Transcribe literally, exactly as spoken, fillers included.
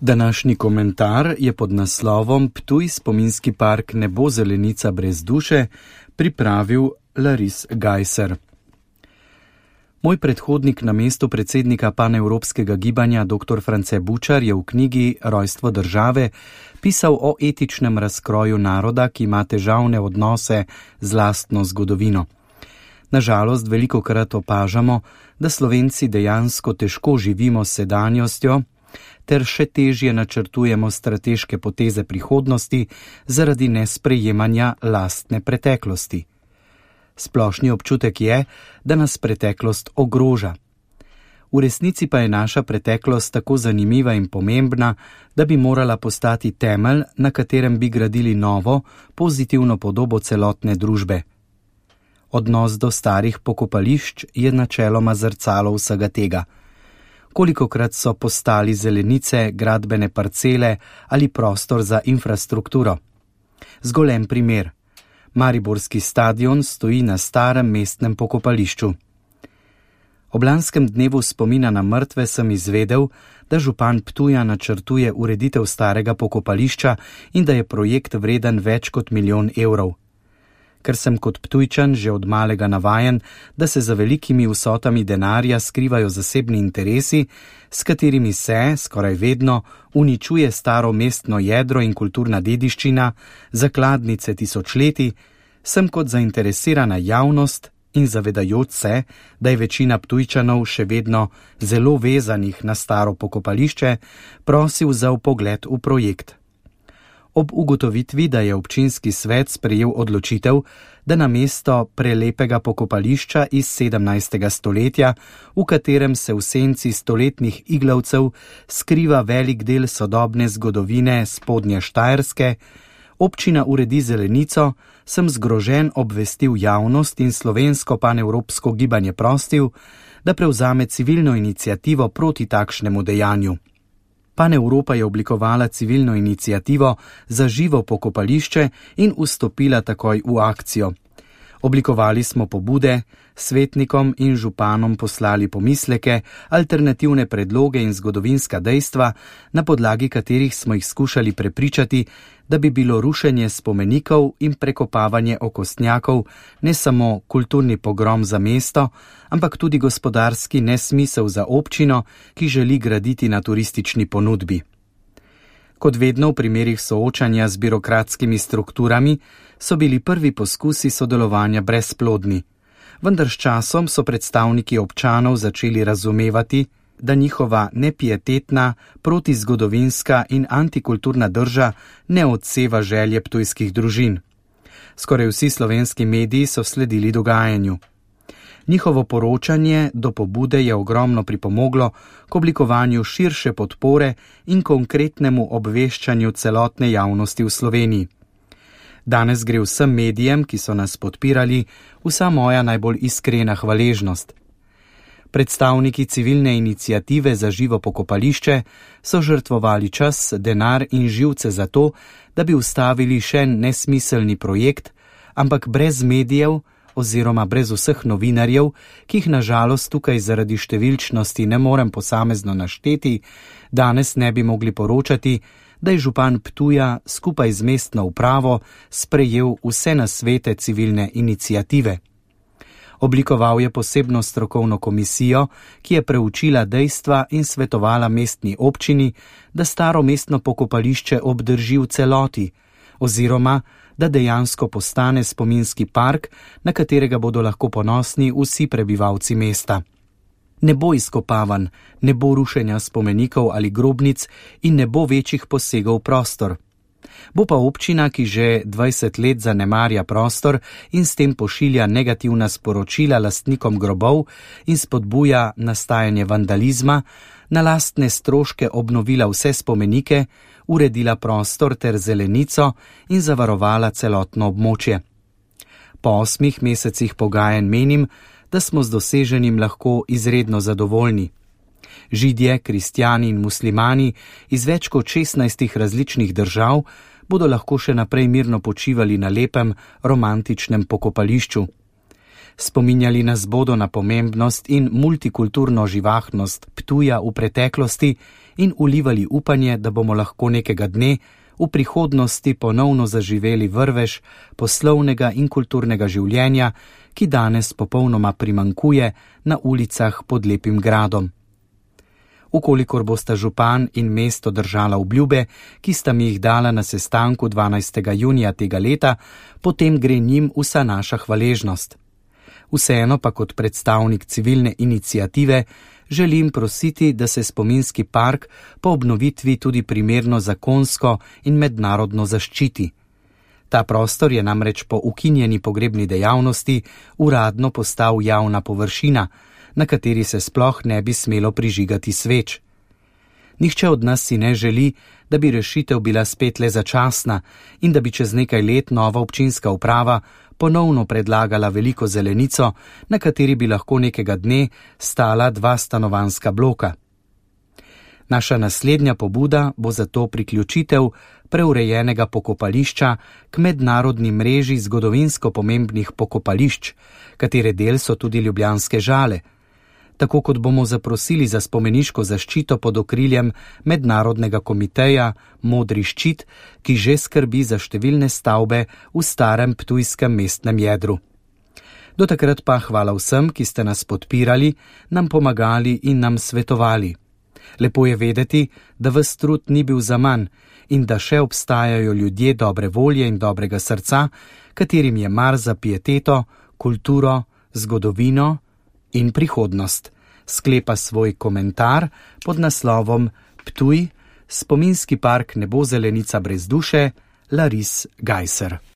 Današnji komentar je pod naslovom Ptuj spominski park ne bo zelenica brez duše pripravil Laris Gajser. Moj predhodnik na mestu predsednika panevropskega gibanja dr. France Bučar je v knjigi Rojstvo države pisal o etičnem razkroju naroda, ki ima težavne odnose z lastno zgodovino. Nažalost, velikokrat opažamo, da Slovenci dejansko težko živimo s sedanjostjo ter še težje načrtujemo strateške poteze prihodnosti zaradi nesprejemanja lastne preteklosti. Splošni občutek je, da nas preteklost ogroža. V resnici pa je naša preteklost tako zanimiva in pomembna, da bi morala postati temelj, na katerem bi gradili novo, pozitivno podobo celotne družbe. Odnos do starih pokopališč je načeloma zrcalo vsega tega. Kolikokrat so postali zelenice, gradbene parcele ali prostor za infrastrukturo. Zgolj en primer. Mariborski stadion stoji na starem mestnem pokopališču. Ob lanskem dnevu spomina na mrtve sem izvedel, da župan Ptuja načrtuje ureditev starega pokopališča in da je projekt vreden več kot milijon evrov. Ker sem kot Ptujčan že od malega navajen, da se za velikimi vsotami denarja skrivajo zasebni interesi, s katerimi se, skoraj vedno, uničuje staro mestno jedro in kulturna dediščina, zakladnice tisočletij, sem kot zainteresirana javnost in zavedajoč se, da je večina Ptujčanov še vedno zelo vezanih na staro pokopališče, prosil za vpogled v projekt. Ob ugotovitvi, da je občinski svet sprejel odločitev, da namesto prelepega pokopališča iz sedemnajstega stoletja, v katerem se v senci stoletnih iglavcev skriva velik del sodobne zgodovine spodnje Štajerske, občina uredi zelenico, sem zgrožen obvestil javnost in slovensko panevropsko gibanje prostil, da prevzame civilno iniciativo proti takšnemu dejanju. Panevropa je oblikovala civilno iniciativo za živo pokopališče in vstopila takoj v akcijo. Oblikovali smo pobude, svetnikom in županom poslali pomisleke, alternativne predloge in zgodovinska dejstva, na podlagi katerih smo jih skušali prepričati, da bi bilo rušenje spomenikov in prekopavanje okostnjakov ne samo kulturni pogrom za mesto, ampak tudi gospodarski nesmisel za občino, ki želi graditi na turistični ponudbi. Kot vedno v primerih soočanja z birokratskimi strukturami so bili prvi poskusi sodelovanja brezplodni, vendar s časom so predstavniki občanov začeli razumevati, da njihova nepietetna, protizgodovinska in antikulturna drža ne odseva želje ptujskih družin. Skoraj vsi slovenski mediji so sledili dogajanju. Njihovo poročanje do pobude je ogromno pripomoglo k oblikovanju širše podpore in konkretnemu obveščanju celotne javnosti v Sloveniji. Danes gre vsem medijem, ki so nas podpirali, vsa moja najbolj iskrena hvaležnost. Predstavniki civilne iniciative za živo pokopališče so žrtvovali čas, denar in živce za to, da bi ustavili še nesmiselni projekt, ampak brez medijev oziroma brez vseh novinarjev, ki jih nažalost tukaj zaradi številčnosti ne morem posamezno našteti, danes ne bi mogli poročati, da je župan Ptuja skupaj z mestno upravo sprejel vse nasvete civilne iniciative. Oblikoval je posebno strokovno komisijo, ki je preučila dejstva in svetovala mestni občini, da staro mestno pokopališče obdrži v celoti, oziroma da dejansko postane spominski park, na katerega bodo lahko ponosni vsi prebivalci mesta. Ne bo izkopavan, ne bo rušenja spomenikov ali grobnic in ne bo večjih posegov v prostor. Bo pa občina, ki že dvajset let zanemarja prostor in s tem pošilja negativna sporočila lastnikom grobov in spodbuja nastajanje vandalizma, na lastne stroške obnovila vse spomenike, uredila prostor ter zelenico in zavarovala celotno območje. Po osmih mesecih pogajanj menim, da smo z doseženim lahko izredno zadovoljni. Židje, kristjani in muslimani iz več kot šestnajstih različnih držav bodo lahko še naprej mirno počivali na lepem, romantičnem pokopališču. Spominjali nas bodo na pomembnost in multikulturno živahnost Ptuja v preteklosti in ulivali upanje, da bomo lahko nekega dne v prihodnosti ponovno zaživeli vrvež poslovnega in kulturnega življenja, ki danes popolnoma primankuje na ulicah pod Lepim gradom. Ukolikor bosta župan in mesto držala obljube, ki sta mi jih dala na sestanku dvanajstega junija tega leta, potem gre njim vsa naša hvaležnost. Vseeno pa kot predstavnik civilne iniciative želim prositi, da se spominski park po obnovitvi tudi primerno zakonsko in mednarodno zaščiti. Ta prostor je namreč po ukinjeni pogrebni dejavnosti uradno postal javna površina, na kateri se sploh ne bi smelo prižigati sveč. Nihče od nas si ne želi, da bi rešitev bila spet le začasna in da bi čez nekaj let nova občinska uprava ponovno predlagala veliko zelenico, na kateri bi lahko nekega dne stala dva stanovanjska bloka. Naša naslednja pobuda bo zato priključitev preurejenega pokopališča k mednarodni mreži zgodovinsko pomembnih pokopališč, katere del so tudi ljubljanske Žale. Tako kot bomo zaprosili za spomeniško zaščito pod okriljem mednarodnega komiteja Modri ščit, ki že skrbi za številne stavbe v starem ptujskem mestnem jedru. Do takrat pa hvala vsem, ki ste nas podpirali, nam pomagali in nam svetovali. Lepo je vedeti, da ves trud ni bil zaman in da še obstajajo ljudje dobre volje in dobrega srca, katerim je mar za pieteto, kulturo, zgodovino in prihodnost. Sklepa svoj komentar pod naslovom Ptuj, spominski park ne bo zelenica brez duše, Laris Gajser.